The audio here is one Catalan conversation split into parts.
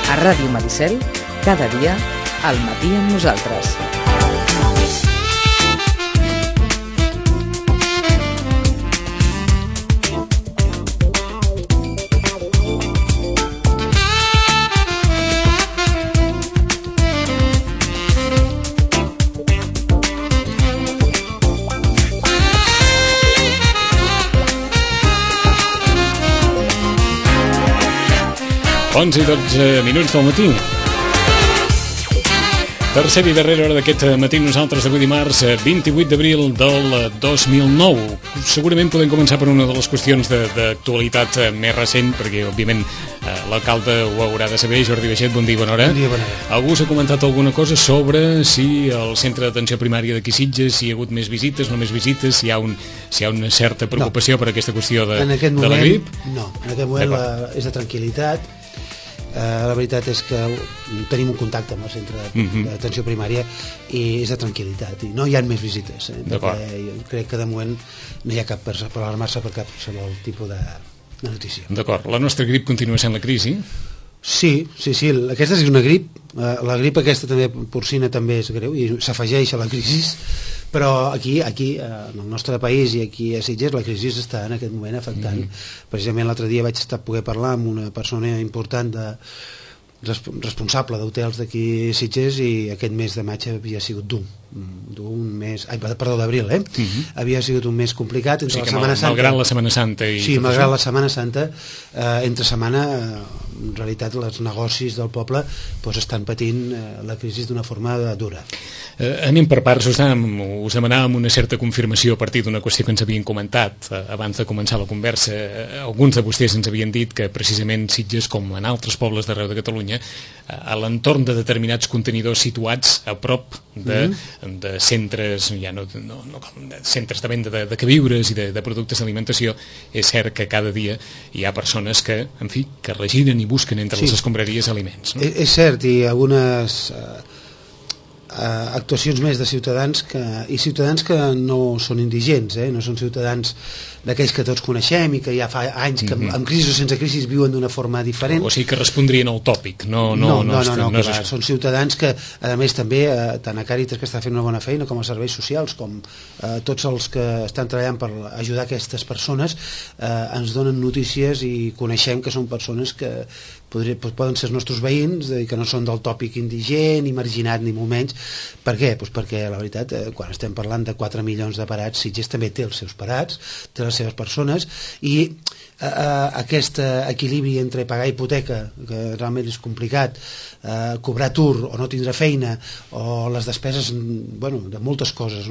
A Ràdio Maricel, cada dia, al matí amb nosaltres. Onze i 12 minuts del matí. Tercera i darrera hora d'aquest matí, nosaltres avui dimarts 28 d'abril del 2009. Segurament podem començar per una de les qüestions d'actualitat més recent, perquè òbviament l'alcalde ho haurà de saber. Jordi Baixet, bon dia i bona hora. Bon dia, bona hora. Algú s'ha comentat alguna cosa sobre si el centre d'atenció primària d'aquí Sitges, si hi ha hagut més visites, no més visites, si hi ha una certa preocupació per aquesta qüestió de la grip? No, en aquest moment és de tranquil·litat. La veritat és que tenim un contacte amb el centre d'atenció primària i és de tranquil·litat i no hi ha més visites, perquè jo crec que de moment no hi ha cap per alarmar-se per cap tipus de notícia. D'acord, la nostra grip continua sent la crisi? Sí, aquesta és una grip, la grip aquesta també porcina també és greu i s'afegeix a la crisi, però aquí en el nostre país i aquí a Sitges la crisi està en aquest moment afectant. Precisament l'altre dia vaig poder parlar amb una persona important responsable d'hotels d'aquí a Sitges i aquest mes de maig havia sigut d'abril, havia sigut un mes complicat entre la Setmana Santa. Malgrat la Setmana Santa. Sí, malgrat la Setmana Santa, entre setmana, en realitat, els negocis del poble estan patint la crisi d'una forma dura. Anem per parts, us demanàvem una certa confirmació a partir d'una qüestió que ens havien comentat abans de començar la conversa. Alguns de vostès ens havien dit que precisament Sitges, com en altres pobles d'arreu de Catalunya, a l'entorn de determinats contenidors situats a prop de centres, centres de venda de queviures i de productes d'alimentació, és cert que cada dia hi ha persones que regiren i busquen entre les escombraries aliments. És cert, i algunes actuacions més de ciutadans que no són indigents, no són ciutadans d'aquells que tots coneixem i que ja fa anys que amb crisi o sense crisi viuen d'una forma diferent. O sigui que respondrien al tòpic. No, són ciutadans que a més també tant a Càritas, que està fent una bona feina, com a serveis socials, com tots els que estan treballant per ajudar aquestes persones, ens donen notícies i coneixem que són persones que poden ser els nostres veïns, que no són del tòpic indigent ni marginat ni molt menys. Per què? Perquè la veritat, quan estem parlant de 4 milions de parats, Sitges també té els seus parats, té les seves persones, i aquest equilibri entre pagar hipoteca, que realment és complicat, cobrar atur o no tindre feina, o les despeses de moltes coses,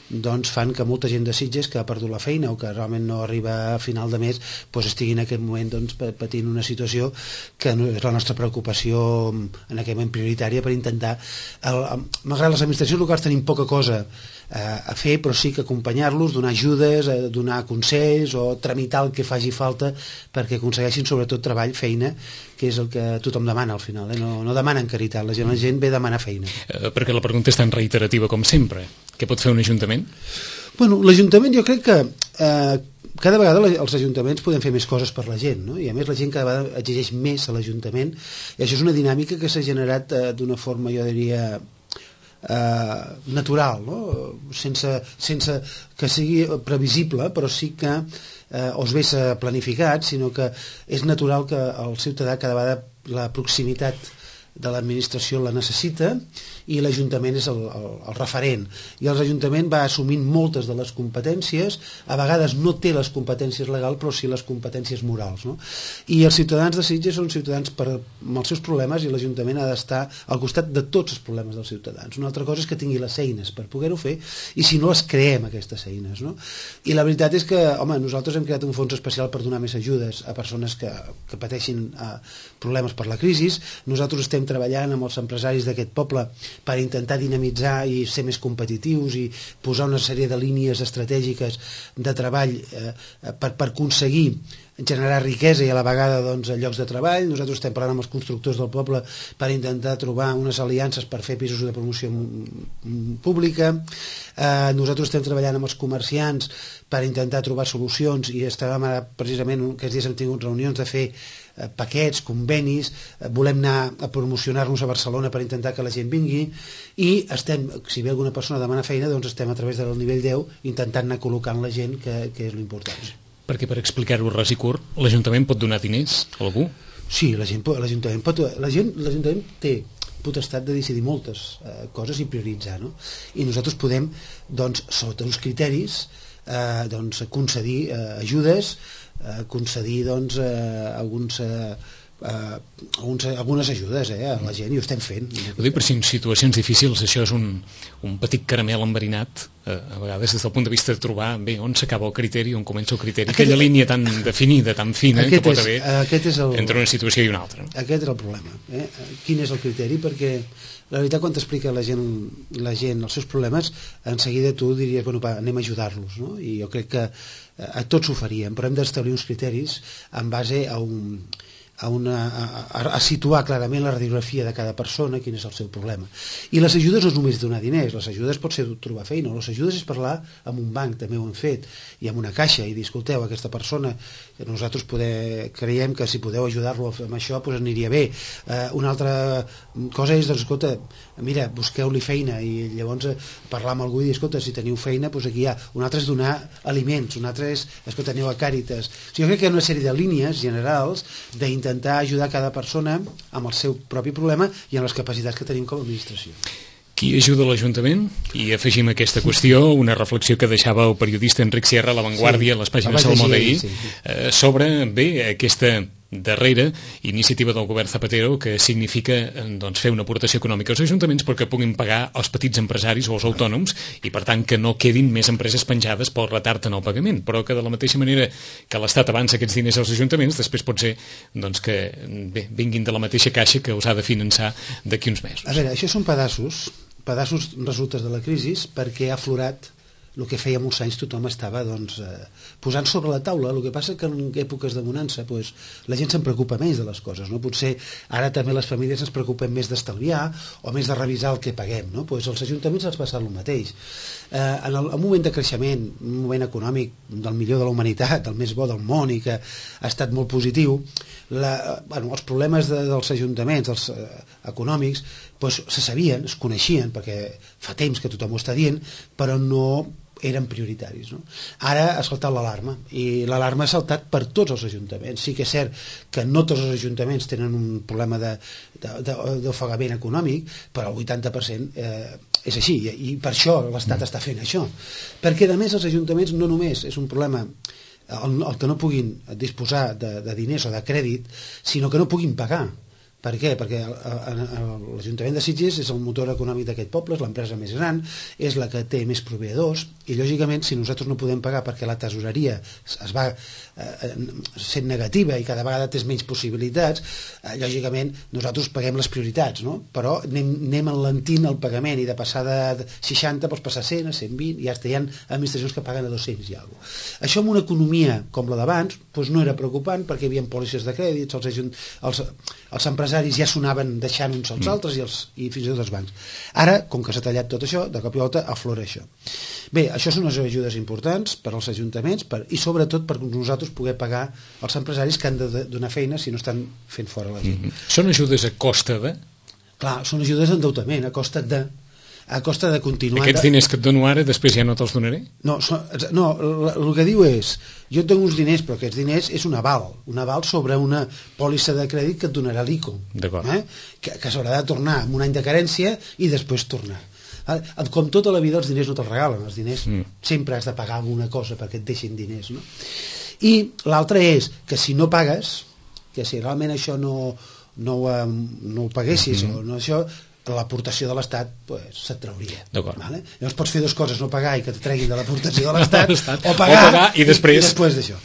doncs fan que molta gent de Sitges que ha perdut la feina o que realment no arriba a final de mes estigui en aquest moment patint una situació que és la nostra preocupació en aquest moment prioritària per intentar, malgrat les administracions locals tenim poca cosa a fer, però sí que acompanyar-los, donar ajudes, donar consells o tramitar el que faci falta perquè aconsegueixin sobretot treball, feina, que és el que tothom demana al final, no demanen caritat, la gent ve a demanar feina. Perquè la pregunta és tan reiterativa com sempre. Què pot fer un ajuntament? Bueno, l'Ajuntament jo crec que cada vegada els ajuntaments podem fer més coses per la gent, i a més la gent cada vegada exigeix més a l'Ajuntament, i això és una dinàmica que s'ha generat d'una forma, jo diria, natural, sense que sigui previsible, però sí que o es ve planificat, sinó que és natural que el ciutadà cada vegada la proximitat de l'administració la necessita i l'Ajuntament és el referent, i l'Ajuntament va assumint moltes de les competències, a vegades no té les competències legals però sí les competències morals, i els ciutadans de Sitges són ciutadans amb els seus problemes i l'Ajuntament ha d'estar al costat de tots els problemes dels ciutadans. Una altra cosa és que tingui les eines per poder-ho fer i si no les creem aquestes eines, i la veritat és que, nosaltres hem creat un fons especial per donar més ajudes a persones que pateixin problemes per la crisi. Nosaltres estem treballant amb els empresaris d'aquest poble per intentar dinamitzar i ser més competitius i posar una sèrie de línies estratègiques de treball per aconseguir generar riquesa i a la vegada doncs, llocs de treball. Nosaltres estem parlant amb els constructors del poble per intentar trobar unes aliances per fer pisos de promoció pública. Nosaltres estem treballant amb els comerciants per intentar trobar solucions i estàvem ara, precisament, aquests dies hem tingut reunions de fer paquets, convenis, volem anar a promocionar-nos a Barcelona per intentar que la gent vingui i estem, si ve alguna persona a demanar feina, doncs estem a través del nivell 10 intentant anar col·locant la gent, que és l'important. Perquè per explicar-ho ras i curt, l'Ajuntament pot donar diners a algú? Sí, l'Ajuntament té potestat de decidir moltes coses i prioritzar, no? I nosaltres podem, doncs, sota uns criteris, doncs, concedir ajudes, concedir doncs, algunes ajudes a la gent, i ho estem fent. Ho dic per si en situacions difícils això és un petit caramel enverinat, a vegades des del punt de vista de trobar bé on s'acaba el criteri, on comença el criteri, aquella línia tan definida, tan fina que pot haver entre una situació i una altra. Aquest és el problema. Quin és el criteri? Perquè la veritat, quan t'explica la gent els seus problemes, en seguida tu diries, bueno, anem a ajudar-los, no? I jo crec que a tots ho faríem, però hem d'establir uns criteris en base a situar clarament la radiografia de cada persona, quin és el seu problema. I les ajudes no és només donar diners, les ajudes pot ser trobar feina, les ajudes és parlar amb un banc, també ho hem fet, i amb una caixa, i dir, escolteu, aquesta persona, nosaltres creiem que si podeu ajudar-lo amb això, doncs aniria bé. Una altra cosa és, doncs, escolta, mira, busqueu-li feina, i llavors parlar amb algú i dir, escolta, si teniu feina, doncs aquí hi ha. Un altre és donar aliments, un altre és, escolta, aneu a Càritas. O sigui, jo crec que hi ha una sèrie de línies generals d'intentar ajudar cada persona amb el seu propi problema i amb les capacitats que tenim com a administració. Qui ajuda l'Ajuntament? I afegim a aquesta qüestió una reflexió que deixava el periodista Enric Sierra a La Vanguardia, a les pàgines Salmó d'ahir, sobre aquesta darrera iniciativa del govern Zapatero, que significa doncs, fer una aportació econòmica als ajuntaments perquè puguin pagar els petits empresaris o els autònoms i per tant que no quedin més empreses penjades pel retard en el pagament, però que de la mateixa manera que l'Estat avança aquests diners als ajuntaments, després pot ser doncs, que vinguin de la mateixa caixa que els ha de finançar d'aquí uns mesos. A veure, això són pedaços resultes de la crisi, perquè ha aflorat el que feia molts anys tothom estava doncs, posant sobre la taula. El que passa que en èpoques de bonança doncs, la gent se'n preocupa més de les coses, no? Potser ara també les famílies ens preocupen més d'estalviar o més de revisar el que paguem, no? Doncs els ajuntaments els passa el mateix. En un moment de creixement, un moment econòmic del millor de la humanitat, del més bo del món i que ha estat molt positiu, els problemes dels ajuntaments, dels econòmics, doncs, se sabien, es coneixien, perquè fa temps que tothom ho està dient, però no eren prioritaris, no? Ara ha saltat l'alarma, i l'alarma ha saltat per tots els ajuntaments. Sí que és cert que no tots els ajuntaments tenen un problema d'ofegament econòmic, però el 80% és així, i per això l'Estat està fent això. Perquè, a més, els ajuntaments no només és un problema el que no puguin disposar de diners o de crèdit, sinó que no puguin pagar. Per què? Perquè l'Ajuntament de Sitges és el motor econòmic d'aquest poble, és l'empresa més gran, és la que té més proveïdors, i lògicament si nosaltres no podem pagar perquè la tesoreria es va sent negativa i cada vegada té menys possibilitats, lògicament nosaltres paguem les prioritats, no? Però anem enlentint el pagament, i de passar de 60 pots passar a 100, a 120, i ja hi ha administracions que paguen a 200 i alguna cosa. Això en una economia com la d'abans doncs no era preocupant, perquè hi havia pòlisses de crèdits, els empresaris ja sonaven deixant uns als altres i fins i tot els bancs. Ara, com que s'ha tallat tot això, de cop i volta aflora això. Bé, això són unes ajudes importants per als ajuntaments i sobretot per nosaltres poder pagar els empresaris que han de donar feina si no estan fent fora la gent. Són ajudes a costa de? Clar, són ajudes d'endeutament, a costa de continuar... Aquests diners que et dono ara, després ja no te'ls donaré? No, el que diu és, jo tinc uns diners, però aquests diners és un aval sobre una pòlissa de crèdit que et donarà l'ICO, que s'haurà de tornar amb un any de carència i després tornar. Com tota la vida els diners no te'ls regalen, els diners sempre has de pagar alguna cosa perquè et deixin diners, no? I l'altre és que si no pagues, que si realment això no ho paguessis o no això, l'aportació de l'Estat se't trauria. Llavors pots fer dues coses, no pagar i que et treguin de l'aportació de l'Estat o pagar i després d'això.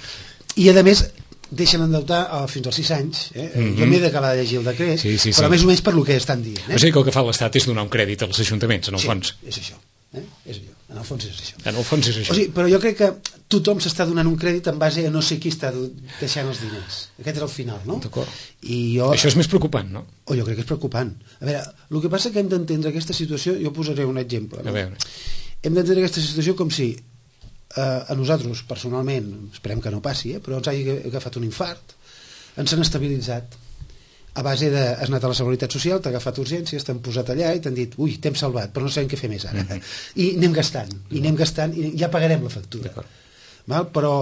I a més deixen endeutar fins als 6 anys. Jo m'he d'acabar de llegir el decret, però més o menys per el que estan dient. O sigui que el que fa l'Estat és donar un crèdit als ajuntaments, en el fons. És això. En el fons és això. En el fons és això. O sigui, però jo crec que tothom s'està donant un crèdit en base a no sé qui està deixant els diners. Aquest és el final, no? D'acord. Jo... Això és més preocupant, no? Jo crec que és preocupant. A veure, el que passa que hem d'entendre aquesta situació, jo posaré un exemple. No? A veure. Hem d'entendre aquesta situació com si a nosaltres, personalment, esperem que no passi, però ens hagi agafat un infart, ens han estabilitzat a base de... Has anat a la Seguretat Social, t'ha agafat urgències, t'han posat allà i t'han dit, ui, t'hem salvat, però no sabem què fer més ara. I anem gastant, i ja pagarem la factura. Val? Però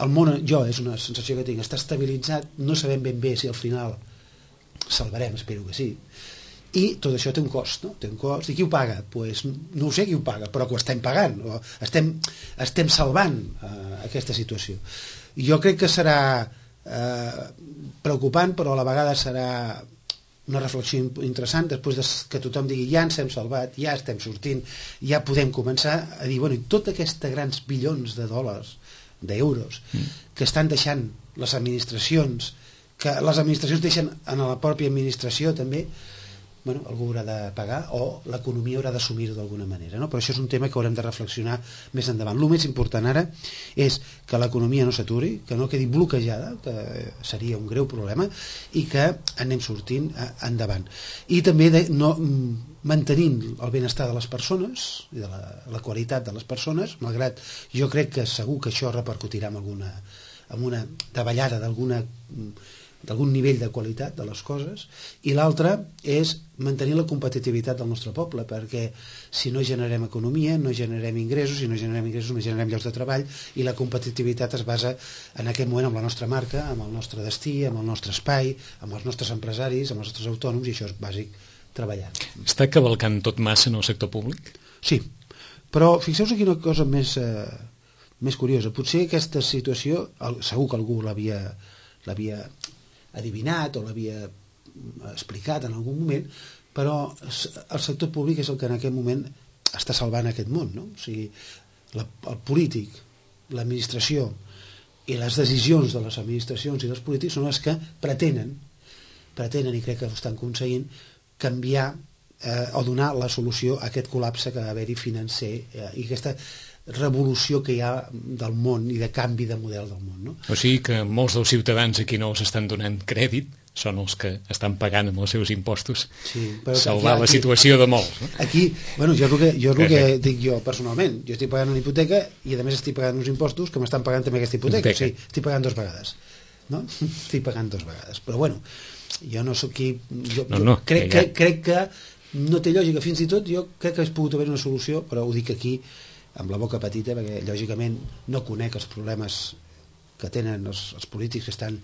el món, és una sensació que tinc, està estabilitzat, no sabem ben bé si al final salvarem, espero que sí. I tot això té un cost, no? Té un cost. I qui ho paga? Pues, no ho sé qui ho paga, però que ho estem pagant. Estem salvant aquesta situació. I jo crec que serà preocupant, però a la vegada serà una reflexió interessant després que tothom digui ja ens hem salvat, ja estem sortint, ja podem començar a dir, bueno, i tots aquests grans bilions de dòlars, d'euros, que estan deixant les administracions, que les administracions deixen en la pròpia administració també, bueno, algú haurà de pagar o l'economia haurà d'assumir-ho d'alguna manera, no? Però això és un tema que haurem de reflexionar més endavant. El més important ara és que l'economia no s'aturi, que no quedi bloquejada, que seria un greu problema, i que anem sortint endavant. I també mantenint el benestar de les persones i de la qualitat de les persones, malgrat jo crec que segur que això repercutirà en una davallada d'algun nivell de qualitat de les coses, i l'altre és mantenir la competitivitat del nostre poble, perquè si no generem economia, no generem ingressos, si no generem ingressos no generem llocs de treball, i la competitivitat es basa en aquest moment amb la nostra marca, amb el nostre destí, amb el nostre espai, amb els nostres empresaris, amb els nostres autònoms, i això és bàsic treballar. Està cavalcant tot massa en el sector públic? Sí, però fixeu-vos aquí una cosa més curiosa. Potser aquesta situació, segur que algú l'havia adivinat o l'havia explicat en algun moment, però el sector públic és el que en aquest moment està salvant aquest món, no? O sigui, el polític, l'administració i les decisions de les administracions i dels polítics són les que pretenen, i crec que ho estan aconseguint, canviar o donar la solució a aquest col·lapse que va haver-hi financer i aquesta revolució que hi ha del món i de canvi de model del món, no? O sigui que molts dels ciutadans aquí no s'estan donant crèdit, són els que estan pagant amb els seus impostos salvar la situació de molts, no? Aquí, bueno, jo és el que dic jo personalment, jo estic pagant una hipoteca i a més estic pagant uns impostos que m'estan pagant també aquesta hipoteca. O sigui, estic pagant 2 vegades, no? Estic pagant 2 vegades, però bueno, jo no sóc qui... Crec que no té lògica, fins i tot jo crec que hauria pogut haver una solució, però ho dic aquí amb la boca petita, perquè lògicament no conec els problemes que tenen els polítics que estan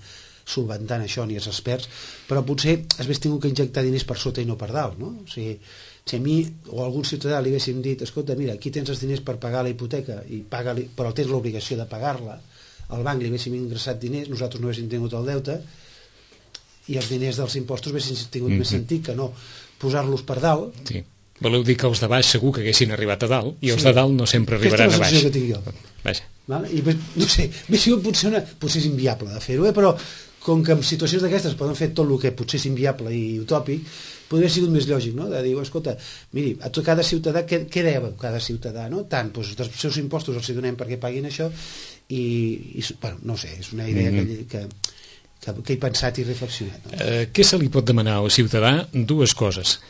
solventant això, ni els experts, però potser hagués tingut que injectar diners per sota i no per dalt, no? O sigui, si a mi o a algun ciutadà li haguéssim dit, escolta, mira, aquí tens els diners per pagar la hipoteca, però tens l'obligació de pagar-la, al banc li haguéssim ingressat diners, nosaltres no haguéssim tingut el deute, i els diners dels impostos haguessin tingut més sentit que no posar-los per dalt. Sí. Voleu dir que els de baix segur que haguessin arribat a dalt i els de dalt no sempre arribaran a baix. Aquesta és la sensació que tinc jo. Vaja. Vale? I no sé, potser és inviable de fer-ho, però com que en situacions d'aquestes poden fer tot el que potser és inviable i utòpic, podria haver sigut més lògic, no? De dir, escolta, miri, a cada ciutadà, què deu cada ciutadà, no? Tant, doncs dels seus impostos els hi donem perquè paguin això i bueno, no sé, és una idea que he pensat i reflexionat. No? Què se li pot demanar al ciutadà? 2 coses.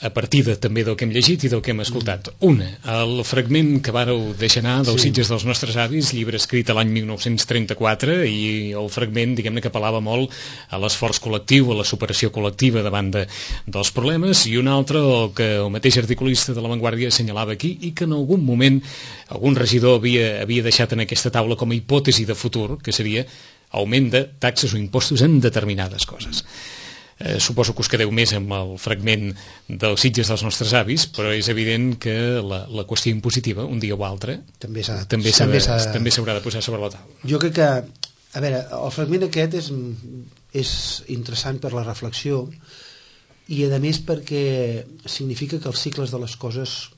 A partir també del que hem llegit i del que hem escoltat. Una, el fragment que vàreu deixar anar dels Sitges dels nostres avis, llibre escrit a l'any 1934, i el fragment, diguem-ne, que apel·lava molt a l'esforç col·lectiu, a la superació col·lectiva davant dels problemes, i un altre, el que el mateix articulista de La Vanguardia assenyalava aquí, i que en algun moment algun regidor havia deixat en aquesta taula com a hipòtesi de futur, que seria augment de taxes o impostos en determinades coses. Suposo que us quedeu més amb el fragment dels Sitges dels nostres avis, però és evident que la qüestió impositiva, un dia o altre, també s'haurà de posar sobre la taula. Jo crec que, a veure, el fragment aquest és interessant per la reflexió i a més perquè significa que els cicles de les coses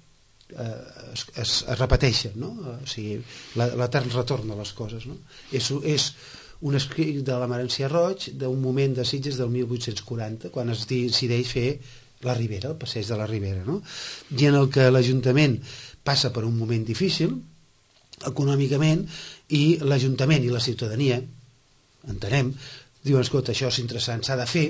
es repeteixen, no? O sigui, l'etern retorn de les coses, no? És un escrit de la Marencia Roig d'un moment de Sitges del 1840, quan es decideix fer la Ribera, el passeig de la Ribera, no? I en el que l'Ajuntament passa per un moment difícil econòmicament, i l'Ajuntament i la ciutadania, entenem, diuen, escolta, això és interessant, s'ha de fer,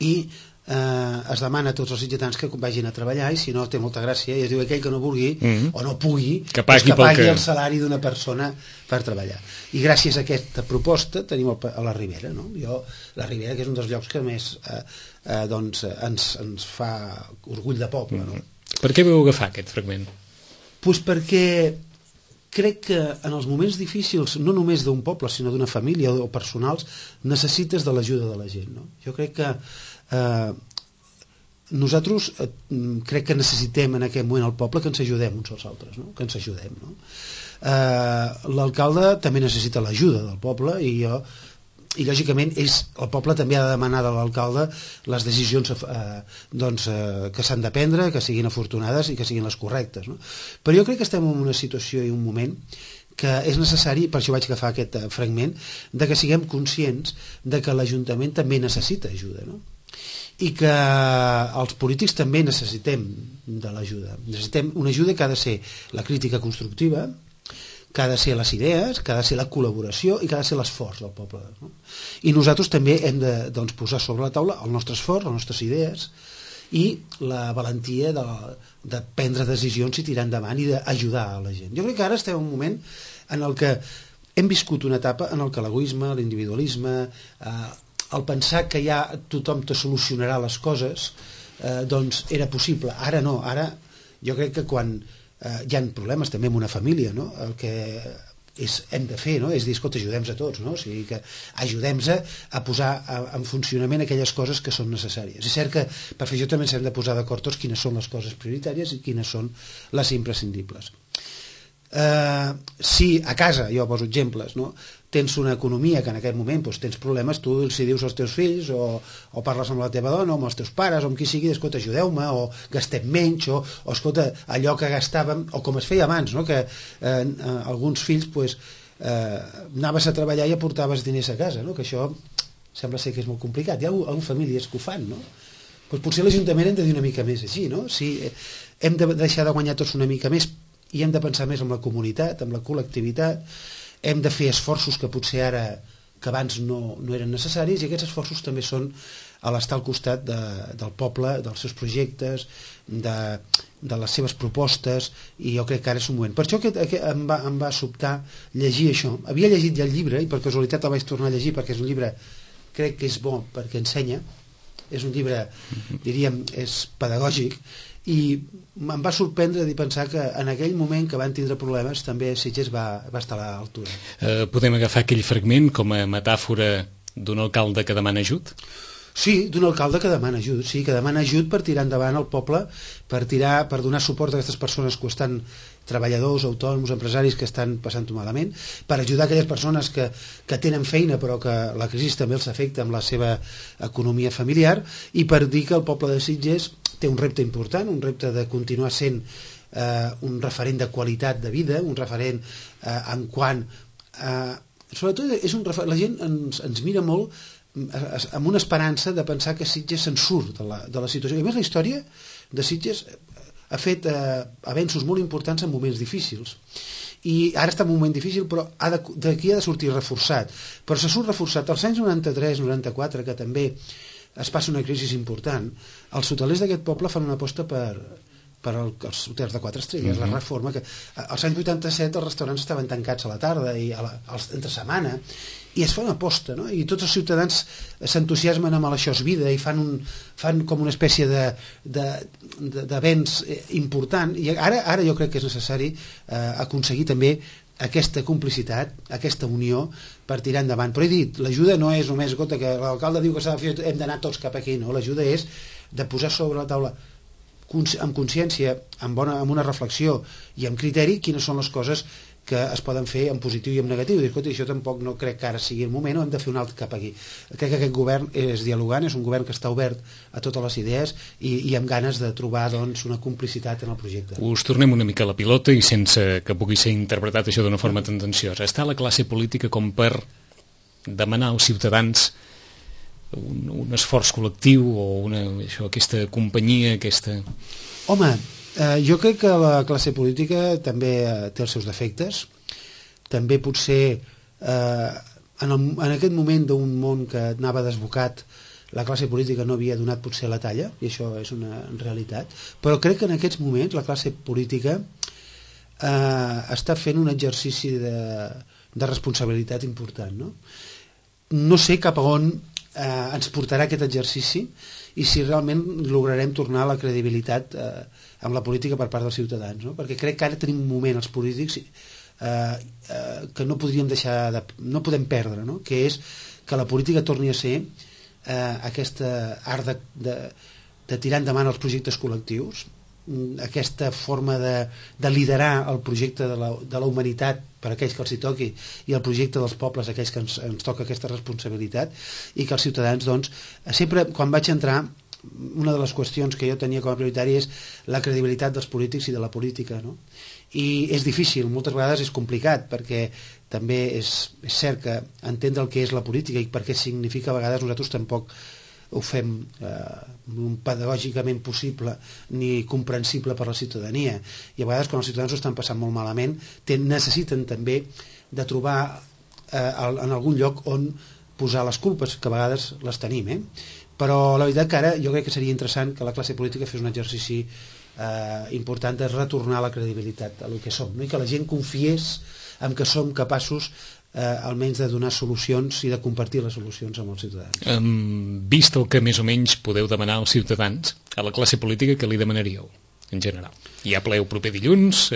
i es demana a tots els sitgetans que vagin a treballar, i si no té molta gràcia, i es diu aquell que no vulgui o no pugui, que pagui el salari d'una persona per treballar. I gràcies a aquesta proposta tenim a la Ribera, no? La Ribera, que és un dels llocs que més ens fa orgull de poble, no? Per què vau agafar aquest fragment? Doncs perquè crec que en els moments difícils, no només d'un poble, sinó d'una família o personals, necessites de l'ajuda de la gent, no? Jo crec que nosaltres crec que necessitem en aquest moment al poble que ens ajudem uns als altres, no? Que ens ajudem, no? L'alcalde també necessita l'ajuda del poble, i lògicament el poble també ha de demanar de l'alcalde les decisions que s'han de prendre, que siguin afortunades i que siguin les correctes, no? Però jo crec que estem en una situació i un moment que és necessari, per això vaig agafar aquest fragment, de que siguem conscients de que l'Ajuntament també necessita ajuda, no? I que els polítics també necessitem de l'ajuda. Necessitem una ajuda que ha de ser la crítica constructiva, que ha de ser les idees, que ha de ser la col·laboració i que ha de ser l'esforç del poble, no? I nosaltres també hem de posar sobre la taula el nostre esforç, les nostres idees i la valentia de prendre decisions i tirar endavant i d'ajudar a la gent. Jo crec que ara estem en un moment en el que hem viscut una etapa en el que l'egoisme, l'individualisme, el pensar que ja tothom te solucionarà les coses, doncs era possible. Ara no, ara jo crec que quan hi ha problemes també en una família, no? El que hem de fer, no? És dir, escolta, ajudem a tots, no? O sigui, que ajudem a posar en funcionament aquelles coses que són necessàries. És cert que per fer això també ens hem de posar d'acord tots quines són les coses prioritàries i quines són les imprescindibles. Si a casa, jo poso exemples, no? Tens una economia que en aquest moment tens problemes, tu si dius als teus fills o parles amb la teva dona o amb els teus pares o amb qui sigui, escolta, ajudeu-me, o gastem menys, o escolta, allò que gastàvem, o com es feia abans, no? Que alguns fills anaves a treballar i aportaves diners a casa, no? Que això sembla ser que és molt complicat. Hi ha famílies que ho fan, no? Potser l'Ajuntament hem de dir una mica més així, no? Si hem de deixar de guanyar tots una mica més i hem de pensar més en la comunitat, en la col·lectivitat, hem de fer esforços que potser ara, que abans no eren necessaris, i aquests esforços també són a l'estar al costat del poble, dels seus projectes, de les seves propostes, i jo crec que ara és un moment. Per això em va sobtar llegir això. Havia llegit ja el llibre, i per casualitat el vaig tornar a llegir, perquè és un llibre, crec que és bo perquè ensenya, és un llibre, diríem, és pedagògic, i em va sorprendre de pensar que en aquell moment que van tindre problemes també Sitges va estar a l'altura. Podem agafar aquell fragment com a metàfora d'un alcalde que demana ajut? Sí, d'un alcalde que demana ajut, sí, que demana ajut per tirar endavant el poble, per donar suport a aquestes persones que estan, treballadors, autònoms, empresaris que estan passant-ho malament, per ajudar aquelles persones que tenen feina però que la crisi també els afecta amb la seva economia familiar, i per dir que el poble de Sitges té un repte important, un repte de continuar sent un referent de qualitat de vida, un referent en quant sobretot és un referent, la gent ens mira molt amb una esperança de pensar que Sitges se'n surt de la situació. I a més la història de Sitges ha fet avenços molt importants en moments difícils, i ara està en un moment difícil, però d'aquí ha de sortir reforçat, però se surt reforçat. Als anys 93-94, que també es passa una crisi important, els hotelers d'aquest poble fan una aposta per els hotels de 4 estrelles, la reforma, que als anys 87 els restaurants estaven tancats a la tarda i entre setmana, i es fa una aposta, no? I tots els ciutadans s'entusiasmen amb això és vida i fan com una espècie d'events important, i ara jo crec que és necessari aconseguir també aquesta complicitat, aquesta unió per tirar endavant. Però he dit, l'ajuda no és només, escolta, que l'alcalde diu que s'ha de fer, hem d'anar tots cap aquí, no? L'ajuda és de posar sobre la taula amb consciència, amb una reflexió i amb criteri, quines són les coses que es poden fer en positiu i en negatiu. I escolta, això tampoc no crec que ara sigui el moment, o hem de fer un altre cap aquí. Crec que aquest govern és dialogant, és un govern que està obert a totes les idees i amb ganes de trobar una complicitat en el projecte. Us tornem una mica a la pilota i sense que pugui ser interpretat això d'una forma tendenciosa. Està la classe política com per demanar als ciutadans un esforç col·lectiu o aquesta companyia, aquesta... Home, Jo crec que la classe política també té els seus defectes. També potser en aquest moment d'un món que anava desbocat, la classe política no havia donat potser la talla, i això és una realitat, però crec que en aquests moments la classe política està fent un exercici de responsabilitat important, no sé cap a on ens portarà aquest exercici i si realment lograrem tornar a la credibilitat amb la política per part dels ciutadans, perquè crec que ara tenim un moment els polítics que no podríem no podem perdre, que és que la política torni a ser aquesta art de tirar endavant els projectes col·lectius, aquesta forma de liderar el projecte de la humanitat per aquells que els hi toqui i el projecte dels pobles aquells que ens toca aquesta responsabilitat, i que els ciutadans, doncs, sempre quan vaig entrar, una de les qüestions que jo tenia com a prioritari és la credibilitat dels polítics i de la política, i és difícil, moltes vegades és complicat, perquè també és cert que entendre el que és la política i per què significa, a vegades nosaltres tampoc ho fem pedagògicament possible ni comprensible per la ciutadania, i a vegades quan els ciutadans ho estan passant molt malament necessiten també de trobar en algun lloc on posar les culpes, que a vegades les tenim, però la veritat que ara jo crec que seria interessant que la classe política fes un exercici important de retornar la credibilitat a lo que som, i que la gent confiés en que som capaços almenys de donar solucions i de compartir les solucions amb els ciutadans. Vist el que més o menys podeu demanar als ciutadans, a la classe política, què li demanaríeu en general? Hi ha ple el proper dilluns,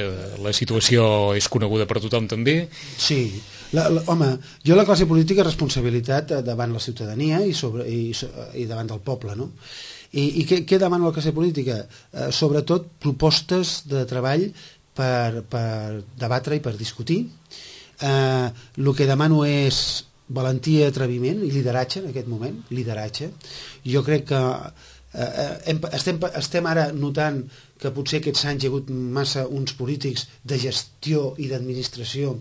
la situació és coneguda per tothom també. Sí, home, jo la classe política responsabilitat davant la ciutadania i davant del poble, I què demana la classe política? Sobretot propostes de treball per debatre i per discutir. El que demano és valentia, atreviment i lideratge en aquest moment, lideratge. Jo crec que estem ara notant que potser aquests anys hi ha hagut massa uns polítics de gestió i d'administració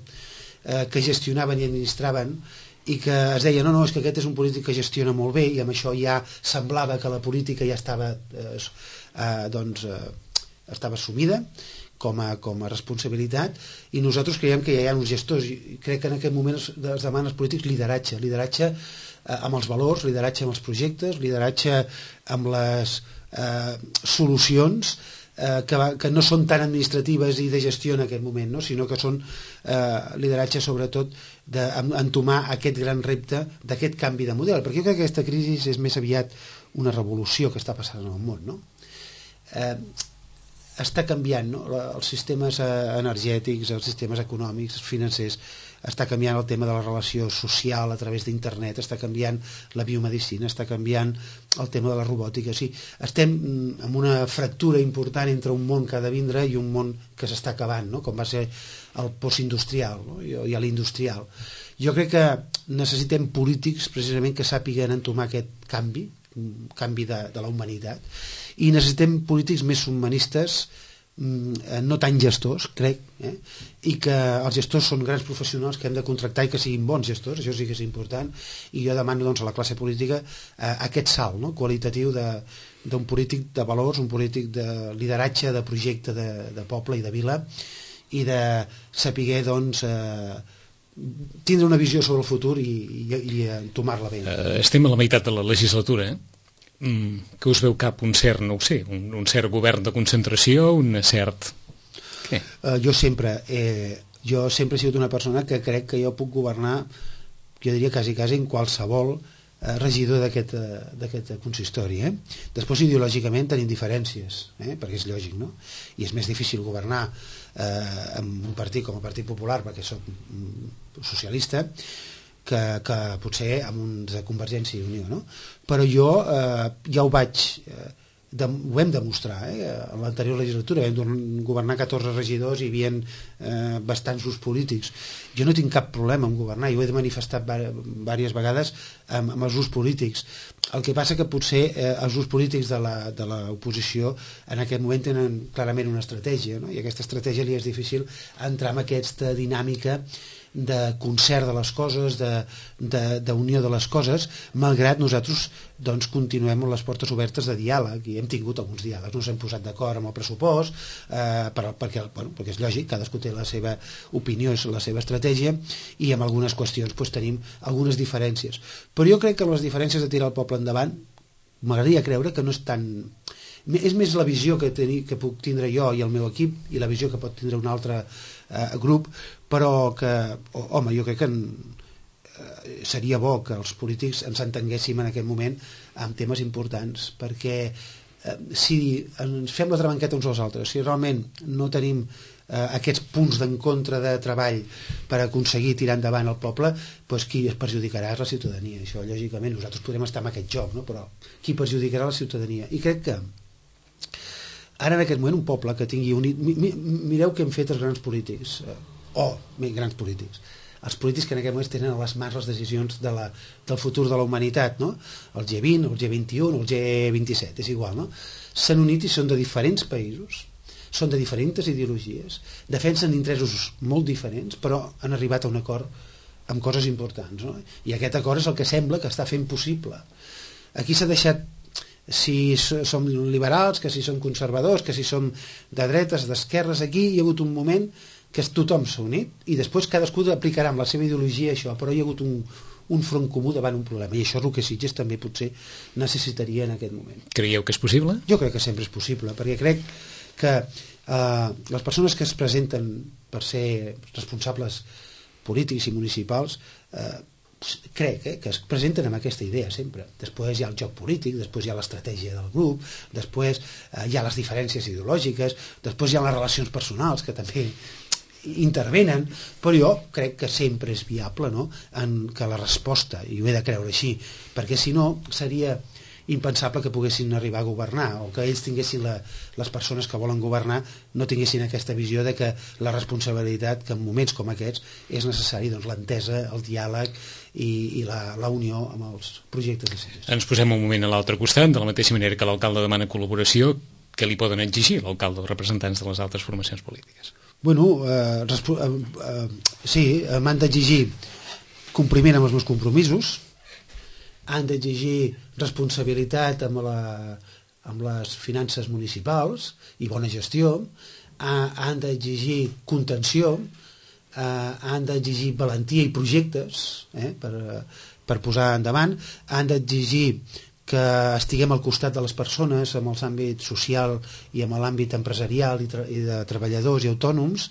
que gestionaven i administraven, i que es deia, no, és que aquest és un polític que gestiona molt bé, i amb això ja semblava que la política ja estava estava assumida com a responsabilitat, i nosaltres creiem que ja hi ha uns gestors, i crec que en aquest moment es demanen als polítics lideratge amb els valors, lideratge amb els projectes, lideratge amb les solucions que no són tan administratives i de gestió en aquest moment, sinó que són lideratge sobretot d'entomar aquest gran repte d'aquest canvi de model, perquè jo crec que aquesta crisi és més aviat una revolució que està passant en el món, està canviant, els sistemes energètics, els sistemes econòmics, financers, està canviant el tema de la relació social a través d'internet, està canviant la biomedicina, està canviant el tema de la robòtica. O sigui, estem en una fractura important entre un món que ha de vindre i un món que s'està acabant, com va ser el postindustrial i l'industrial. Jo crec que necessitem polítics precisament que sàpiguen entomar aquest canvi de la humanitat, i necessitem polítics més humanistes, no tan gestors, crec, i que els gestors són grans professionals que hem de contractar i que siguin bons gestors, això sí que és important, i jo demano a la classe política aquest salt qualitatiu d'un polític de valors, un polític de lideratge, de projecte de poble i de vila, i de saber tindre una visió sobre el futur i entomar-la bé. Estem a la meitat de la legislatura, que us veu cap un cert, no ho sé, un cert govern de concentració, un cert... Què? Jo sempre he sigut una persona que crec que jo puc governar, jo diria quasi en qualsevol regidor d'aquest consistori. Després ideològicament tenim diferències, perquè és lògic, i és més difícil governar amb un partit com el Partit Popular, perquè soc socialista, que potser amb uns de Convergència i Unió, però jo ja ho hem demostrar, en l'anterior legislatura vam governar 14 regidors i hi havia bastants grups polítics. Jo no tinc cap problema en governar, jo ho he manifestat diverses vegades amb els grups polítics. El que passa que potser els grups polítics de l'oposició en aquest moment tenen clarament una estratègia, i aquesta estratègia li és difícil entrar en aquesta dinàmica concert de les coses, d'unió de les coses, malgrat nosaltres doncs, continuem amb les portes obertes de diàleg, i hem tingut alguns diàlegs, no s'hem posat d'acord amb el pressupost, perquè és lògic, cadascú té la seva opinió, és la seva estratègia, i amb algunes qüestions doncs, tenim algunes diferències. Però jo crec que les diferències de tirar el poble endavant m'agradaria creure que no és tan... És més la visió que puc tindre jo i el meu equip i la visió que pot tindre un altre grup, però que, home, jo crec que seria bo que els polítics ens entenguéssim en aquest moment amb temes importants, perquè si ens fem la trabanqueta uns als altres, si realment no tenim aquests punts d'encontre de treball per aconseguir tirar endavant el poble, doncs qui es perjudicarà és la ciutadania. Això, lògicament, nosaltres podem estar en aquest joc, no? Però qui perjudicarà la ciutadania? I crec que ara en aquest moment un poble que tingui unit... Mireu què han fet els grans polítics, grans polítics, els polítics que en aquest moment tenen a les mans les decisions del futur de la humanitat, no? El G20, el G21, el G27, és igual, no? S'han unit i són de diferents països, són de diferents ideologies, defensen interessos molt diferents, però han arribat a un acord amb coses importants, no? I aquest acord és el que sembla que està fent possible. Aquí s'ha deixat si som liberals, que si som conservadors, que si som de dretes, d'esquerres. Aquí hi ha hagut un moment que tothom s'ha unit i després cadascú aplicarà amb la seva ideologia això, però hi ha hagut un front comú davant un problema, i això és el que Sitges també potser necessitaria en aquest moment. Creieu que és possible? Jo crec que sempre és possible, perquè crec que les persones que es presenten per ser responsables polítics i municipals crec que es presenten amb aquesta idea sempre. Després hi ha el joc polític, després hi ha l'estratègia del grup, després hi ha les diferències ideològiques, després hi ha les relacions personals que també intervenen, però jo crec que sempre és viable, no? Que la resposta, i ho he de creure així, perquè si no seria impensable que poguessin arribar a governar, o que ells tinguessin, les persones que volen governar no tinguessin aquesta visió de que la responsabilitat, que en moments com aquests és necessari, doncs, l'entesa, el diàleg i la unió amb els projectes de Sitges. Ens posem un moment a l'altre costat, de la mateixa manera que l'alcalde demana col·laboració, què li poden exigir l'alcalde o representants de les altres formacions polítiques? Bueno, sí, m'han d'exigir compliment amb els meus compromisos, han d'exigir responsabilitat amb les finances municipals i bona gestió, han d'exigir contenció, han d'exigir valentia i projectes per posar endavant, han d'exigir que estiguem al costat de les persones amb els àmbits social i amb l'àmbit empresarial i de treballadors i autònoms,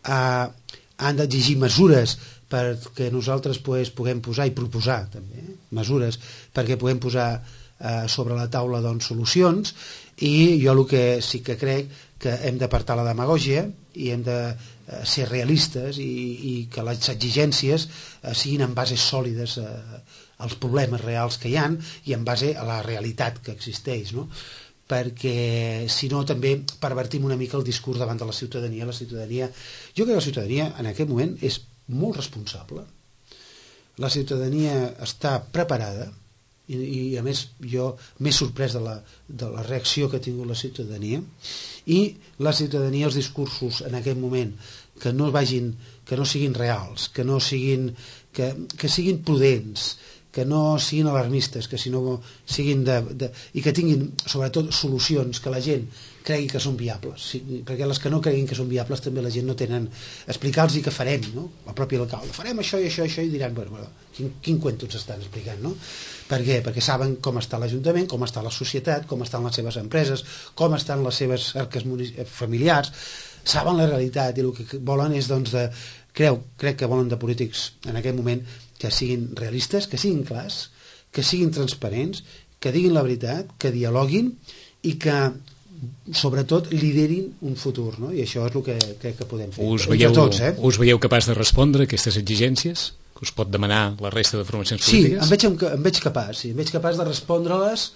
han d'exigir mesures perquè nosaltres puguem posar i proposar també mesures perquè puguem posar sobre la taula doncs, solucions, i jo el que sí que crec que hem d'apartar la demagògia i hem de ser realistes i que les exigències siguin en bases sòlides als problemes reals que hi ha i en base a la realitat que existeix, no? Perquè si no també pervertim una mica el discurs davant de la ciutadania. Jo crec que la ciutadania en aquest moment és molt responsable, la ciutadania està preparada i a més jo m'he sorprès de la reacció que ha tingut la ciutadania, i la ciutadania, els discursos en aquest moment que no siguin reals, que siguin prudents, que no siguin alarmistes, que siguin i que tinguin sobretot solucions que la gent cregui que són viables, perquè les que no creguin que són viables també la gent no tenen... Explicar-los què farem, no? El propi alcalde, farem això i això i això, i diran, bueno, quin cuento ens estan explicant, no? Per què? Perquè saben com està l'Ajuntament, com està la societat, com estan les seves empreses, com estan les seves arques familiars, saben la realitat, i el que volen és, doncs, crec que volen de polítics en aquest moment que siguin realistes, que siguin clars, que siguin transparents, que diguin la veritat, que dialoguin i que sobretot liderin un futur, no? I això és el que crec que podem fer entre tots. Us veieu capaç de respondre a aquestes exigències que us pot demanar la resta de formacions polítiques? Sí, em veig capaç, em veig capaç de respondre-les,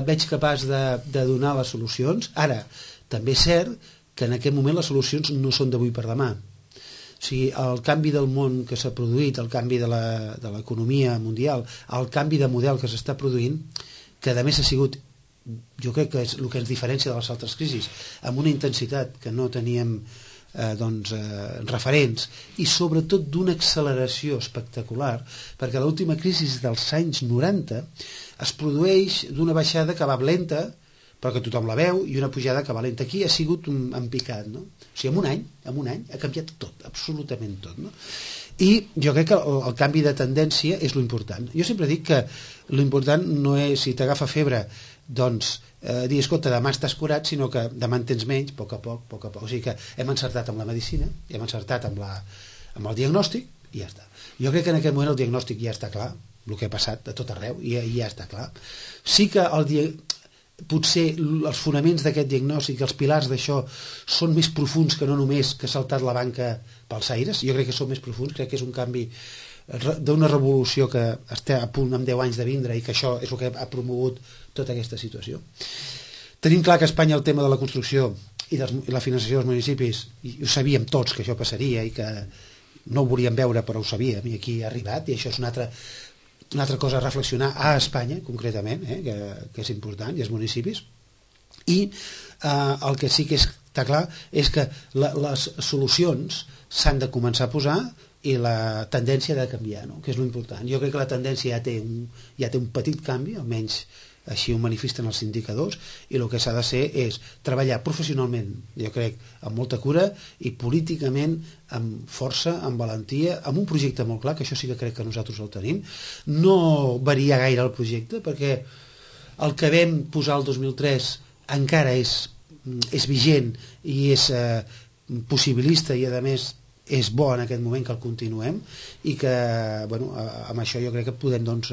veig capaç de donar les solucions. Ara, també és cert que en aquest moment les solucions no són d'avui per demà. O sigui, el canvi del món que s'ha produït, el canvi de l'economia mundial, el canvi de model que s'està produint, que a més ha sigut, jo crec que és el que ens diferencia de les altres crisis, amb una intensitat que no teníem referents, i sobretot d'una acceleració espectacular, perquè l'última crisi dels anys 90 es produeix d'una baixada que va lenta, però que tothom la veu, i una pujada que va lenta. Aquí ha sigut en picat, no? O sigui, en un any ha canviat tot, absolutament tot, no? I jo crec que el canvi de tendència és l'important. Jo sempre dic que l'important no és, si t'agafa febre, doncs dir, escolta, demà estàs curat, sinó que demà en tens menys, a poc a poc. O sigui que hem encertat amb la medicina, hem encertat amb el diagnòstic, i ja està. Jo crec que en aquest moment el diagnòstic ja està clar, el que ha passat a tot arreu, i ja està clar. Sí que potser els fonaments d'aquest diagnòstic, els pilars d'això, són més profuns que no només que ha saltat la banca pels aires. Jo crec que són més profuns, crec que és un canvi d'una revolució que està a punt amb 10 anys de vindre, i que això és el que ha promogut tota aquesta situació. Tenim clar que a Espanya el tema de la construcció i la finançació dels municipis, i ho sabíem tots que això passaria, i que no ho volíem veure però ho sabíem, i aquí ha arribat, i això és una altra cosa a reflexionar a Espanya concretament, que és important, i als municipis. I el que sí que està clar és que les solucions s'han de començar a posar, i la tendència ha de canviar, no? Que és l'important. Jo crec que la tendència ja té un petit canvi, almenys així ho manifesten els indicadors, i el que s'ha de ser és treballar professionalment, jo crec, amb molta cura, i políticament amb força, amb valentia, amb un projecte molt clar, que això sí que crec que nosaltres el tenim, no variar gaire el projecte, perquè el que vam posar el 2003 encara és vigent i és possibilista, i a més és bo en aquest moment que el continuem, i que amb això jo crec que podem, doncs,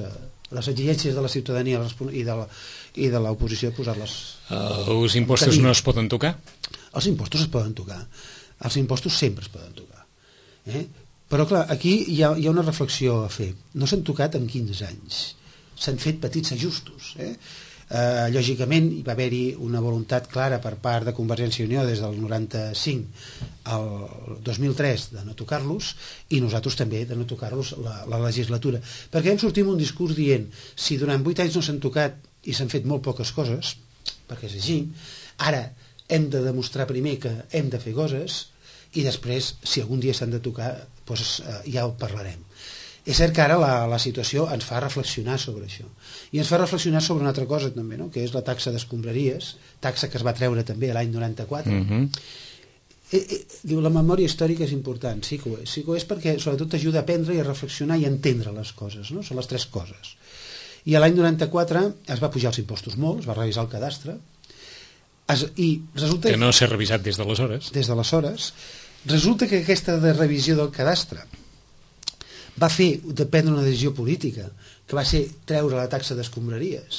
les exigències de la ciutadania i de l'oposició posar-les. Els impostos no es poden tocar? Els impostos es poden tocar, els impostos sempre es poden tocar, però clar, aquí hi ha una reflexió a fer. No s'han tocat en 15 anys, s'han fet petits ajustos, lògicament hi va haver-hi una voluntat clara per part de Convergència i Unió des del 95 al 2003 de no tocar-los, i nosaltres també de no tocar-los la legislatura, perquè vam sortir amb un discurs dient, si durant 8 anys no s'han tocat i s'han fet molt poques coses, perquè és així, ara hem de demostrar primer que hem de fer coses, i després, si algun dia s'han de tocar, doncs ja ho parlarem. És cert que ara la situació ens fa reflexionar sobre això, i ens fa reflexionar sobre una altra cosa també, no? Que és la taxa d'escombraries, taxa que es va treure també l'any 94. Diu, la memòria històrica és important, sí que ho és perquè sobretot t'ajuda a aprendre i a reflexionar i a entendre les coses, no? Són les tres coses. I l'any 94 es va pujar els impostos molt, es va revisar el cadastre, i resulta que no s'ha revisat des d'aleshores. Resulta que aquesta revisió del cadastre va fer de prendre una decisió política, que va ser treure la taxa d'escombraries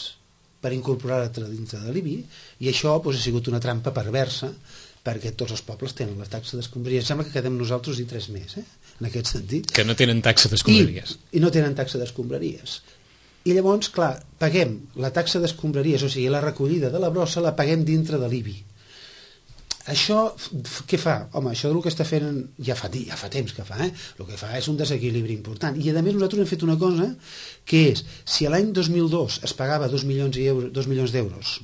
per incorporar-la dintre de l'IBI, i això ha sigut una trampa perversa, perquè tots els pobles tenen la taxa d'escombraries. Sembla que quedem nosaltres i 3 més, en aquest sentit. Que no tenen taxa d'escombraries. I no tenen taxa d'escombraries. I llavors, clar, paguem la taxa d'escombraries, o sigui, la recollida de la brossa la paguem dintre de l'IBI. Això què fa? Home, això del que està fent ja fa temps que fa, el que fa és un desequilibri important, i a més nosaltres hem fet una cosa que és, si l'any 2002 es pagava 2 milions d'euros,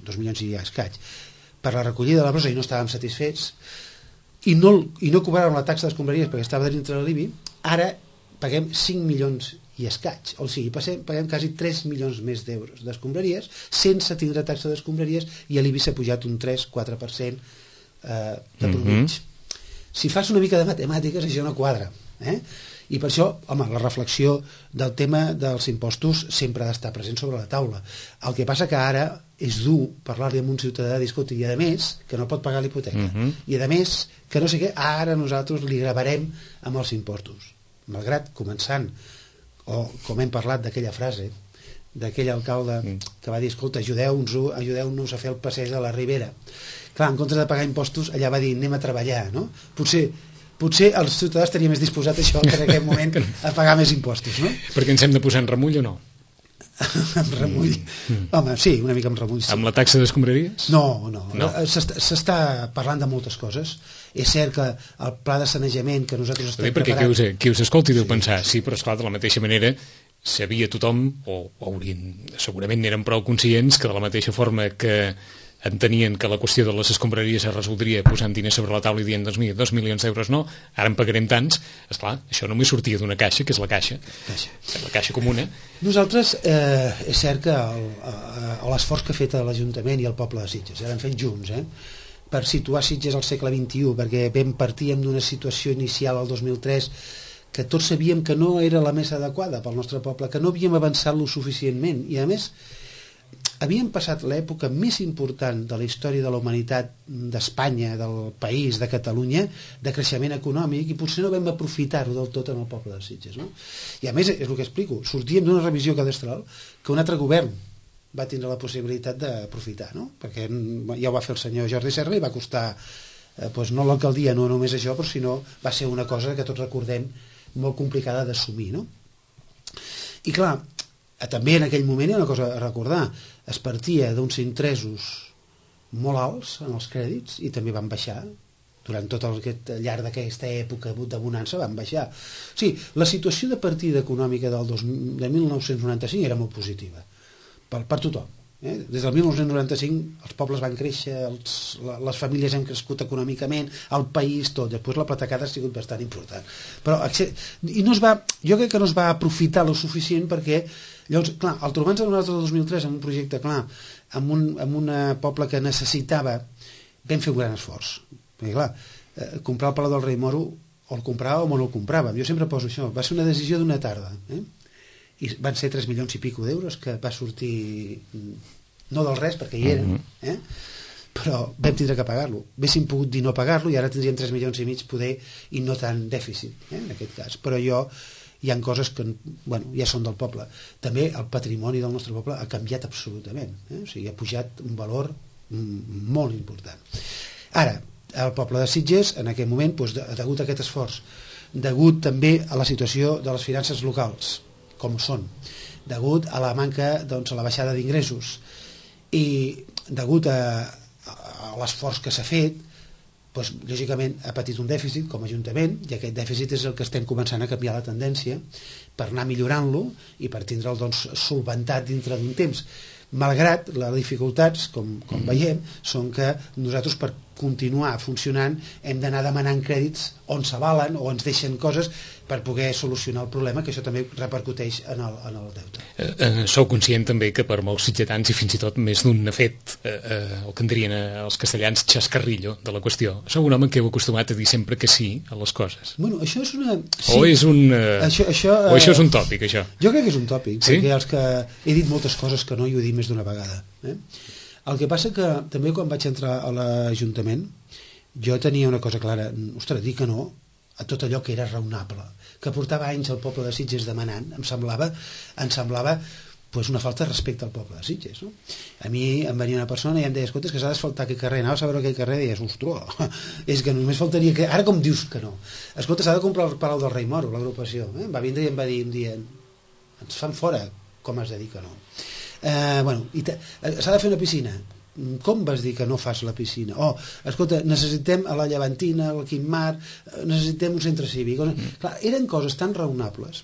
2 milions i escaig, per la recollida de la brossa, i no estàvem satisfets, i no cobràvem la taxa d'escombraries perquè estava dintre de l'IBI, ara paguem 5 milions i escaig, o sigui, paguem quasi 3 milions més d'euros d'escombraries sense tindre taxa d'escombraries, i a l'IBI s'ha pujat un 3-4% de promig. Si fas una mica de matemàtiques, això no quadra, i per això, home, la reflexió del tema dels impostos sempre ha d'estar present sobre la taula. El que passa que ara és dur parlar-li amb un ciutadà i dir, escolta, i a més que no pot pagar l'hipoteca, i a més que no sé què, ara nosaltres li gravarem amb els impostos, malgrat començant, o com hem parlat d'aquella frase d'aquell alcalde que va dir, escolta, ajudeu-nos a fer el passeig de la Ribera. Clar, en comptes de pagar impostos, allà va dir, anem a treballar, no? Potser els ciutadans estaria més disposat a això que en aquest moment a pagar més impostos, no? Perquè ens hem de posar en remull o no? En remull? Home, sí, una mica en remull, sí. Amb la taxa d'escombraries? No. S'està parlant de moltes coses. És cert que el pla de sanejament que nosaltres estem preparant... Perquè qui us escolti deu pensar, sí, però esclar, de la mateixa manera sabia tothom, o segurament n'eren prou conscients, que de la mateixa forma que entenien que la qüestió de les escombraries es resoldria posant diners sobre la taula i dient, doncs mira, 2 milions d'euros no, ara en pagarem tants. Esclar, això només sortia d'una caixa, que és la caixa comuna. Nosaltres, és cert que l'esforç que ha fet l'Ajuntament i el poble de Sitges, l'hem fet junts, per situar Sitges al segle XXI, perquè vam partir d'una situació inicial al 2003 que tots sabíem que no era la més adequada pel nostre poble, que no havíem avançat lo suficientment, i a més havíem passat l'època més important de la història de la humanitat d'Espanya, del país, de Catalunya, de creixement econòmic, i potser no vam aprofitar-ho del tot en el poble de Sitges, no? I a més, és el que explico, sortíem d'una revisió cadastral que un altre govern va tindre la possibilitat d'aprofitar, no? Perquè ja ho va fer el senyor Jordi Serra i va costar, no l'alcaldia, no només això, però sinó va ser una cosa que tots recordem molt complicada d'assumir, no? I clar, també en aquell moment hi ha una cosa a recordar, es partia d'uns interessos molt alts en els crèdits i també van baixar durant tot aquest llarg d'aquesta època de bonança, van baixar. O sigui, la situació de partida econòmica de 1995 era molt positiva per tothom. Des del 1995 els pobles van créixer, les famílies han crescut econòmicament, el país tot, després la patacada ha sigut bastant important, però jo crec que no es va aprofitar lo suficient, perquè llavors, clar, al trobar-nos a nosaltres el 2003 en un projecte clar, amb un poble que necessitava, vam fer un gran esforç, perquè clar, comprar el Palau del Rei Moro o el compràvem o no el compràvem, jo sempre poso això, va ser una decisió d'una tarda, i van ser 3 milions i pico d'euros que va sortir no del res perquè hi eren, però vam tindre que pagar-lo, haguéssim pogut dir no pagar-lo i ara tindríem 3 milions i mig poder i no tant dèficit en aquest cas, però hi ha coses que ja són del poble. També el patrimoni del nostre poble ha canviat absolutament, o sigui, ha pujat un valor molt important. Ara, el poble de Sitges en aquell moment, degut a aquest esforç, degut també a la situació de les finances locals com són, degut a la manca, a la baixada d'ingressos i degut a l'esforç que s'ha fet, lògicament ha patit un dèficit com a Ajuntament, i aquest dèficit és el que estem començant a canviar la tendència per anar millorant-lo i per tindre'l solventat dintre d'un temps, malgrat les dificultats, com veiem, són que nosaltres per continuar funcionant hem d'anar demanant crèdits on s'avalen o ens deixen coses per poder solucionar el problema, que això també repercuteix en el deute. Sou conscient també que per molts sitgetans i fins i tot més d'un ha fet el que en dirien els castellans xascarrillo de la qüestió. Sou un home que heu acostumat a dir sempre que sí a les coses. Bueno, això és una... Sí. O és un... o això és un tòpic, això? Jo crec que és un tòpic, sí? Perquè els que he dit moltes coses que no i ho he dit més d'una vegada. El que passa que també quan vaig entrar a l'Ajuntament jo tenia una cosa clara, ostres, dir que no a tot allò que era raonable, que portava anys el poble de Sitges demanant, em semblava una falta de respecte al poble de Sitges, no? A mi em venia una persona i em deia, escolta, és que s'ha d'asfaltar aquell carrer, anaves a veure aquell carrer i deies, ostres, és que només faltaria que... Ara com dius que no? Escolta, s'ha de comprar el Palau del Rei Moro, l'agrupació, em va vindre i em va dir un dia, ens fan fora, com has de dir que no? S'ha de fer una piscina, com vas dir que no fas la piscina? Escolta, necessitem a la Llevantina, al Quimar, necessitem un centre cívic. Clar, eren coses tan raonables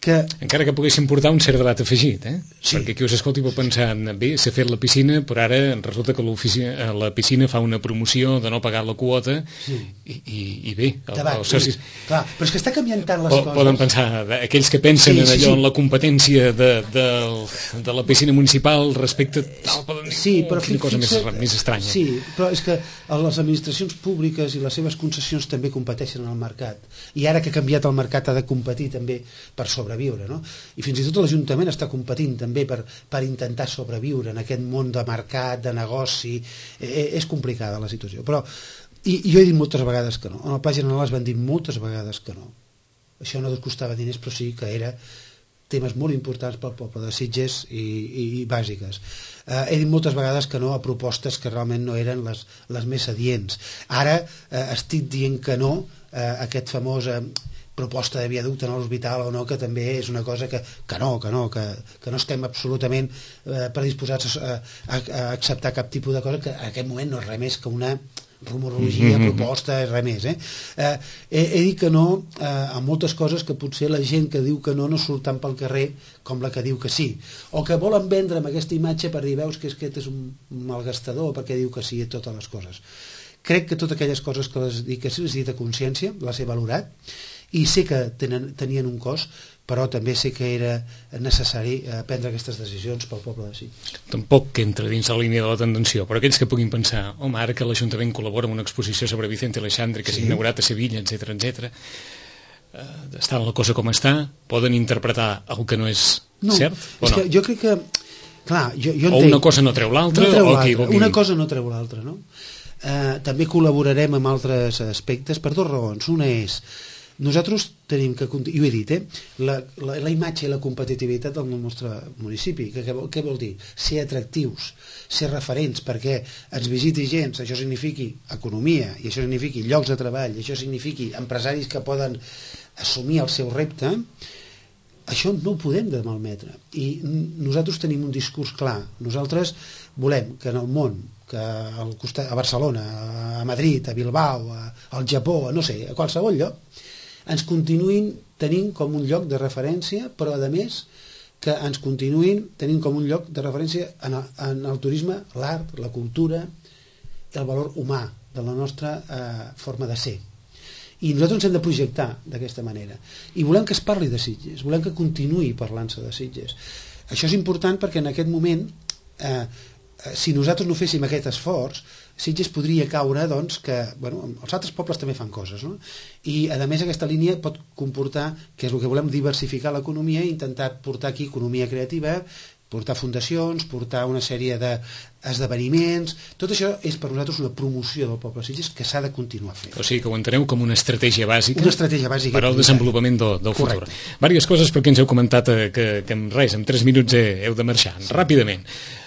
que... Encara que poguessin portar un cert debat afegit, Sí. Perquè qui us escolti pot pensar, bé, s'ha fet la piscina, però ara resulta que la piscina fa una promoció de no pagar la quota, sí. i bé, els socis... Clar, però és que està canviant tant les coses. Poden pensar, aquells que pensen en allò, en la competència de la piscina municipal respecte tal, poden dir, però quina cosa més estranya. Sí, però és que les administracions públiques i les seves concessions també competeixen en el mercat, i ara que ha canviat el mercat ha de competir també per sobreviure, no? I fins i tot l'Ajuntament està competint també per intentar sobreviure en aquest món de mercat, de negoci. És complicada la situació, però i jo he dit moltes vegades que no, en el Pla General es van dir moltes vegades que no, això no costava diners, però sí que era temes molt importants pel poble de Sitges i bàsiques. He dit moltes vegades que no a propostes que realment no eren les més adients. Ara estic dient que no a aquest famós proposta de viaducte en l'hospital o no, que també és una cosa que no estem absolutament predisposats a acceptar cap tipus de cosa, que en aquest moment no és res més que una rumorologia, proposta, res més. He dit que no a moltes coses que potser la gent que diu que no surt tant pel carrer com la que diu que sí, o que volen vendre amb aquesta imatge per dir, veus que aquest és un malgastador perquè diu que sí a totes les coses. Crec que totes aquelles coses que les dic a consciència, les he valorat, i sé que tenien un cost, però també sé que era necessari prendre aquestes decisions pel poble de Sitges. Tampoc que entra dins la línia de la tendenció, però aquells que puguin pensar, home, ara que l'Ajuntament col·labora amb una exposició sobre Vicente Aleixandre que s'ha inaugurat a Sevilla, etc., està la cosa com està, poden interpretar el que no és cert o no? Que jo crec que, clar, jo entenc, o una cosa no treu l'altra, una cosa no treu l'altra, no? També col·laborarem amb altres aspectes per dues raons. Una és, nosaltres tenim que, i ho he dit, la imatge i la competitivitat del nostre municipi. Què vol dir? Ser atractius, ser referents, perquè ens visiti gent, això signifiqui economia, i això signifiqui llocs de treball, i això signifiqui empresaris que poden assumir el seu repte. Això no ho podem de malmetre. I nosaltres tenim un discurs clar. Nosaltres volem que en el món, que a Barcelona, a Madrid, a Bilbao, al Japó, no sé, a qualsevol lloc, ens continuïn tenint com un lloc de referència, però a més que ens continuïn tenint com un lloc de referència en el turisme, l'art, la cultura, el valor humà de la nostra forma de ser. I nosaltres ens hem de projectar d'aquesta manera. I volem que es parli de Sitges, volem que continuï parlant-se de Sitges. Això és important perquè en aquest moment, si nosaltres no féssim aquest esforç, Sitges podria caure, doncs, que els altres pobles també fan coses, no? I a més aquesta línia pot comportar, que és el que volem, diversificar l'economia i intentar portar aquí economia creativa, portar fundacions, portar una sèrie d'esdeveniments. Tot això és per nosaltres una promoció del poble de Sitges que s'ha de continuar fent. O sigui que ho enteneu com una estratègia bàsica, per al desenvolupament del futur. Vàries coses perquè ens heu comentat que en 3 minuts heu de marxar. Ràpidament.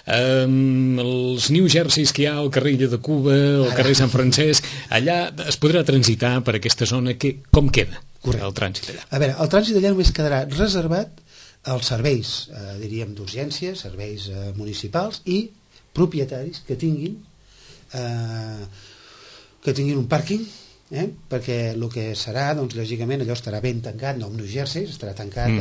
Els New Jerseys que hi ha al carrer Illa de Cuba, al carrer Sant Francesc, allà es podrà transitar per aquesta zona. Com queda el trànsit allà? A veure, el trànsit allà només quedarà reservat als serveis, diríem, d'urgències, serveis municipals i propietaris que tinguin un pàrquing, perquè el que serà, doncs, lògicament, allò estarà ben tancat, no amb New Jersey, estarà tancat.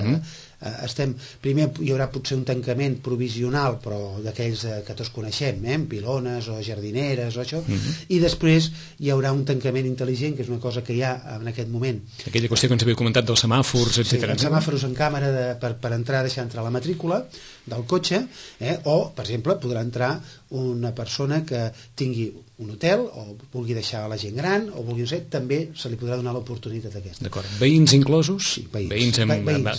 Primer hi haurà potser un tancament provisional, però d'aquells que tots coneixem, pilones o jardineres o això, i després hi haurà un tancament intel·ligent, que és una cosa que hi ha en aquest moment. Aquella qüestió que ens havia comentat dels semàfors, etc. Sí, els semàfors en càmera per entrar, deixar entrar la matrícula del cotxe, o, per exemple, podrà entrar una persona que tingui un hotel o vulgui deixar a la gent gran o vulgui, no sé, també se li podrà donar l'oportunitat aquesta. D'acord. Veïns inclosos? Sí, veïns.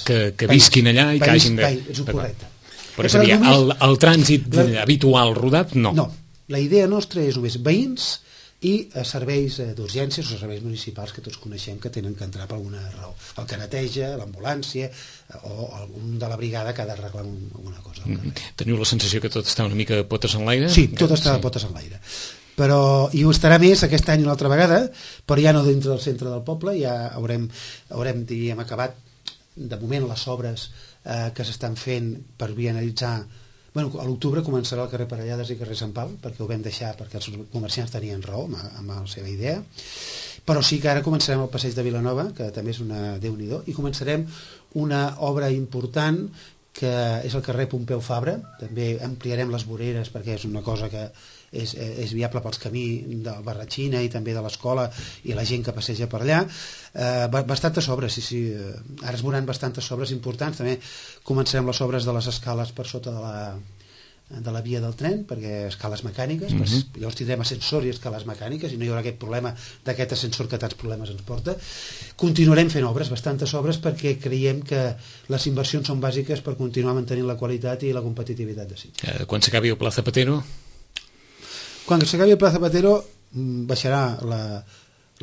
Que visquin allà i que hagin de... És correcte. Però és a dir, el trànsit habitual rodat, no. No, la idea nostra és només veïns i serveis d'urgències o serveis municipals que tots coneixem que tenen que entrar per alguna raó. El que neteja, l'ambulància o algun de la brigada que ha d'arreglar alguna cosa. Teniu la sensació que tot està una mica potes en l'aire? Sí, tot està de potes en l'aire. I ho estarà més aquest any una altra vegada, però ja no dintre del centre del poble, ja haurem diríem, acabat de moment les obres que s'estan fent per vianalitzar. A l'octubre començarà el carrer Parellades i carrer Sant Pau, perquè ho vam deixar perquè els comerciants tenien raó amb la seva idea, però sí que ara començarem el passeig de Vilanova, que també és una Déu-n'hi-do, i començarem una obra important que és el carrer Pompeu Fabra. També ampliarem les voreres perquè és una cosa que és viable pels camins de Barratxina i també de l'escola i la gent que passeja per allà. Bastantes obres, sí. Ara es veuran bastantes obres importants. També començarem les obres de les escales per sota de la via del tren, perquè escales mecàniques, llavors tindrem ascensor i escales mecàniques i no hi haurà aquest problema d'aquest ascensor que tants problemes ens porta. Continuarem fent obres, bastantes obres, perquè creiem que les inversions són bàsiques per continuar mantenint la qualitat i la competitivitat de Sitges. Quan s'acabi el Pla Zapatero? Quan s'acabi el Pla Zapatero baixarà la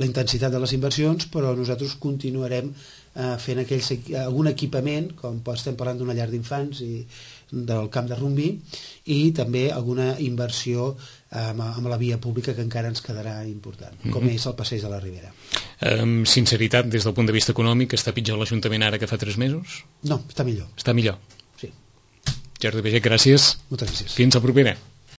intensitat de les inversions, però nosaltres continuarem fent algun equipament, com estem parlant d'una llar d'infants i del camp de rugbi, i també alguna inversió amb la via pública que encara ens quedarà important, com és el passeig de la Ribera. Amb sinceritat, des del punt de vista econòmic, està pitjor l'Ajuntament ara que fa 3 mesos? No, està millor. Està millor? Sí. Jordi Baiget, gràcies. Moltes gràcies. Fins la propera.